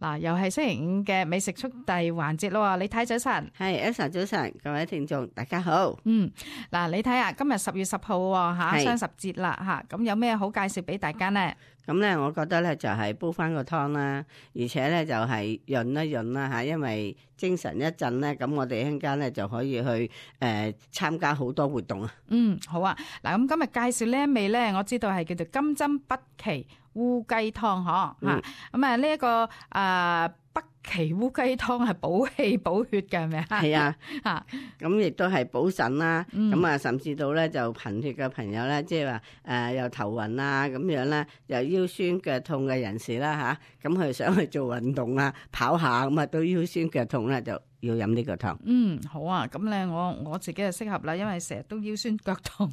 嗱，又係星期五嘅美食速遞環節咯。李太早晨，係 Elsa 早晨，各位聽眾大家好。嗱，李太啊，今日10月10號吓，雙十節啦吓，咁有咩好介紹俾大家呢？咁咧，我覺得咧就係煲翻個湯啦，而且咧就係潤一潤啦吓，因為精神一振咧，咁我哋一陣間咧就可以去參加好多活動啊。好啊。嗱，咁今日介紹呢一味咧，我知道係叫做金針北芪烏雞湯嗬吓。咁啊呢一個北芪烏雞湯係補氣補血嘅係咪啊？係啊，吓咁亦都係補腎啦。咁啊，甚至到咧就貧血嘅朋友咧，即係話又頭暈啊咁樣咧，又腰酸腳痛嘅人士啦吓，咁佢想去做運動啊，跑下咁啊，都腰酸腳痛咧就要飲呢個湯。好啊，咁咧我自己就適合啦，因為成日都腰酸腳痛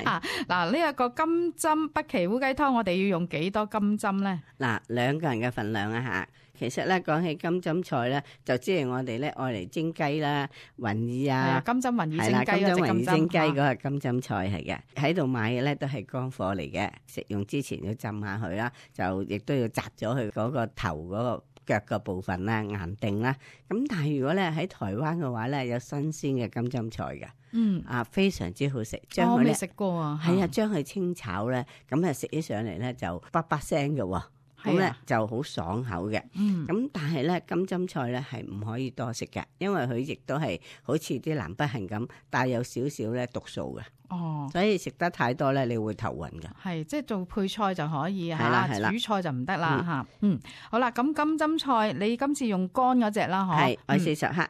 啊。嗱，呢一個金針北芪烏雞湯，我哋要用幾多金針咧？嗱，2個人嘅份量啊吓。其實咧講起金針菜咧，就即係我哋咧愛嚟蒸雞啦、雲耳啊，金針雲耳蒸雞嗰隻金針雲耳蒸雞嗰個金針金針菜係嘅。喺度買嘅咧都係乾貨嚟嘅，食用之前要浸下佢啦，就亦都要摘咗佢嗰個頭嗰個腳嘅部分啦，硬定啦。咁但係如果咧喺台灣嘅話咧，有新鮮嘅金針菜嘅，非常之好食。我未食過啊，係啊，將佢清炒咧，咁啊食起上嚟咧就叭叭聲嘅。咁咧就好爽口嘅，咁但係咧金針菜咧係唔可以多食嘅，因為佢亦都係好似啲南北杏咁帶有少少咧毒素嘅，所以食得太多咧你會頭暈嘅。係即係做配菜就可以係啦主菜就唔得啦吓。好啦，咁金針菜你今次用乾嗰隻啦，係我40克，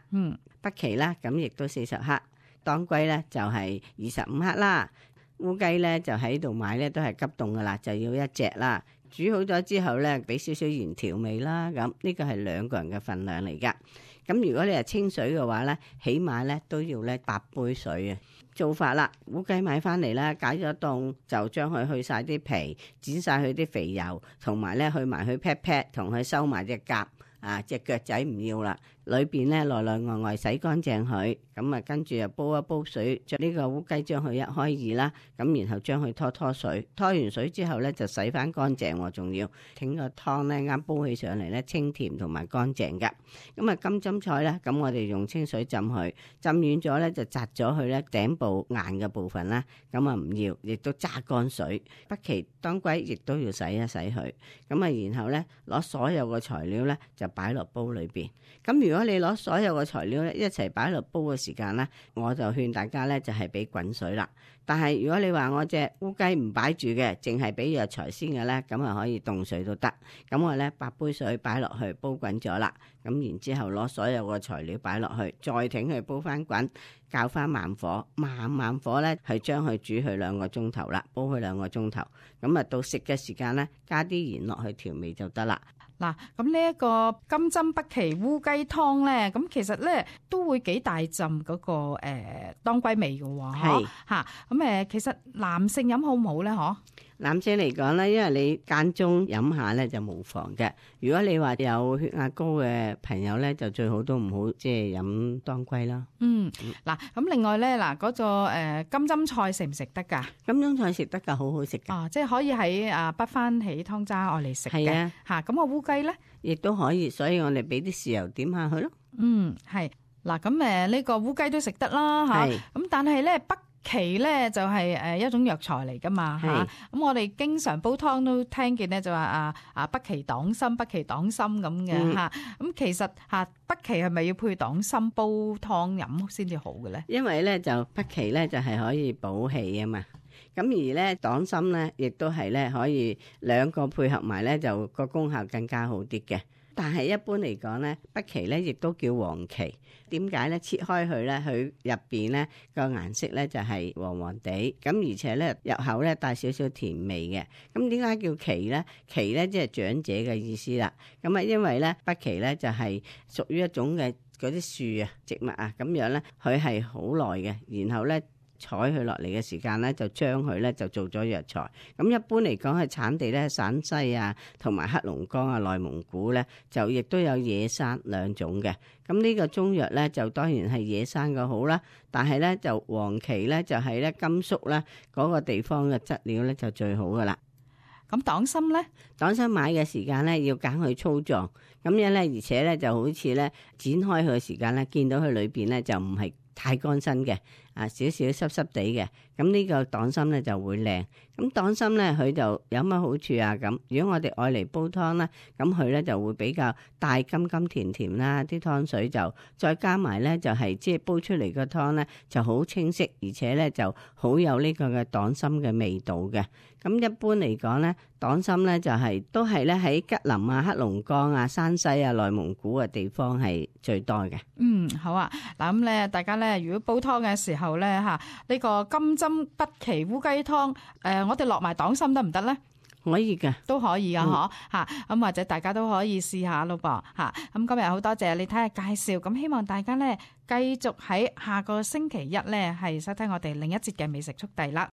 北芪啦，咁亦都40克，當歸咧就係25克啦，烏雞咧就喺度買咧都係急凍噶啦，就要1隻啦。煮好咗之後咧，俾少少鹽調味啦。咁呢個係2個人嘅份量嚟噶。咁如果你係清水嘅話咧，起碼咧都要咧8杯水啊。做法啦，烏雞買翻嚟啦，解咗凍就將佢去晒啲皮，剪晒佢啲肥油，同埋咧去埋佢 pat pat，同佢收埋隻甲啊，隻腳仔唔要啦。裏邊咧內內外外洗乾淨佢，咁啊跟住又煲一煲水，將呢個烏雞將佢一開二啦，咁然後將佢拖水，拖完水之後咧就洗翻乾淨，仲要整個湯咧啱煲起上嚟咧清甜同埋乾淨噶。咁啊金針菜咧，咁我哋用清水浸佢，浸軟咗咧就摘咗佢咧頂部硬嘅部分啦，咁啊唔要，亦都揸乾水。北芪當歸亦都要洗一洗佢，咁啊然後咧攞所有嘅材料咧就擺落煲裏邊。咁如果你攞所有嘅材料咧一齊擺落煲嘅時間咧，我就勸大家咧就係俾滾水啦。但係如果你話我隻烏雞唔擺住嘅，淨係俾藥材先嘅咧，咁啊可以凍水都得。咁我咧8杯水擺落去煲滾咗啦，咁然之後攞所有嘅材料擺落去，再挺佢煲翻滾，較翻慢火，慢火咧係將佢煮佢2個鐘頭啦，煲佢2個鐘頭。咁啊到食嘅時間咧，加啲鹽落去調味就得啦。嗱，咁呢一個金針北芪烏雞湯咧，咁其實咧都會幾大浸嗰個當歸味嘅喎，係嚇咁其實男性飲好唔好咧？嗬？男性嚟講咧，因為你間中飲下咧就無妨嘅。如果你話有血壓高嘅朋友咧，就最好都唔好即係飲當歸啦。嗱，咁另外咧，嗱嗰個金針菜食唔食得㗎？金針菜食得㗎，好好食㗎。即係可以喺滗翻起湯渣愛嚟食嘅。係啊，嚇咁個烏雞咧，亦都可以，所以我哋俾啲豉油點下佢咯。係嗱，咁呢個烏雞都食得啦嚇。咁但係咧北芪咧就係一種藥材嚟噶嘛嚇，咁我哋經常煲湯都聽見咧就話北芪黨參，北芪黨參咁嘅嚇。咁其實北芪係咪要配黨參煲湯飲先至好嘅咧？因為咧就北芪咧就係可以補氣啊嘛。咁而咧黨參咧亦都係咧可以2個配合埋咧就個功效更加好啲嘅。但係一般嚟講咧，北芪咧亦都叫黃芪。點解咧？切開佢咧，佢入邊咧個顏色咧就係黃黃地，咁而且咧入口咧帶少少甜味嘅。咁點解叫芪咧？芪咧即係長者嘅意思啦。咁啊，因為咧北芪咧就係屬於一種嘅嗰啲樹啊植物啊咁樣咧，佢係好耐嘅，然後咧採佢落嚟嘅時間咧，就將佢咧就做咗藥材。咁一般嚟講係產地咧，陝西啊，同埋黑龍江啊、內蒙古咧，就亦都有野生2種嘅。咁呢個中藥咧，就當然係野生嘅好啦。但係咧，就黃芪咧，就係咧甘肅咧嗰個地方嘅質料咧，就最好噶啦。咁黨參咧？黨參買嘅時間咧要揀佢粗壯，咁樣咧，而且咧就好似咧剪開佢嘅時間咧，見到佢裏邊咧就唔係太乾身嘅，少少濕濕地嘅，咁呢個黨參咧就會靚。咁黨參咧佢就有乜好處啊？咁如果我哋愛嚟煲湯啦，咁佢咧就會比較帶甘甘甜甜啦，啲湯水就再加埋咧就係即係煲出嚟個湯咧就好清晰，而且咧就好有呢個嘅黨參嘅味道嘅。咁一般嚟講咧，黨參咧就係都係咧喺吉林啊、黑龍江啊、山西啊、內蒙古嘅地方係最多嘅。好啊。嗱咁咧，大家咧如果煲湯嘅時候咧嚇，呢個金針北芪烏雞湯，我哋落埋黨參得唔得咧？可以嘅，都可以噶，嗬嚇。咁或者大家都可以試下咯噃嚇。咁今日好多謝你睇下介紹，咁希望大家咧繼續喺下個星期一咧係收聽我哋另一節嘅美食速遞啦。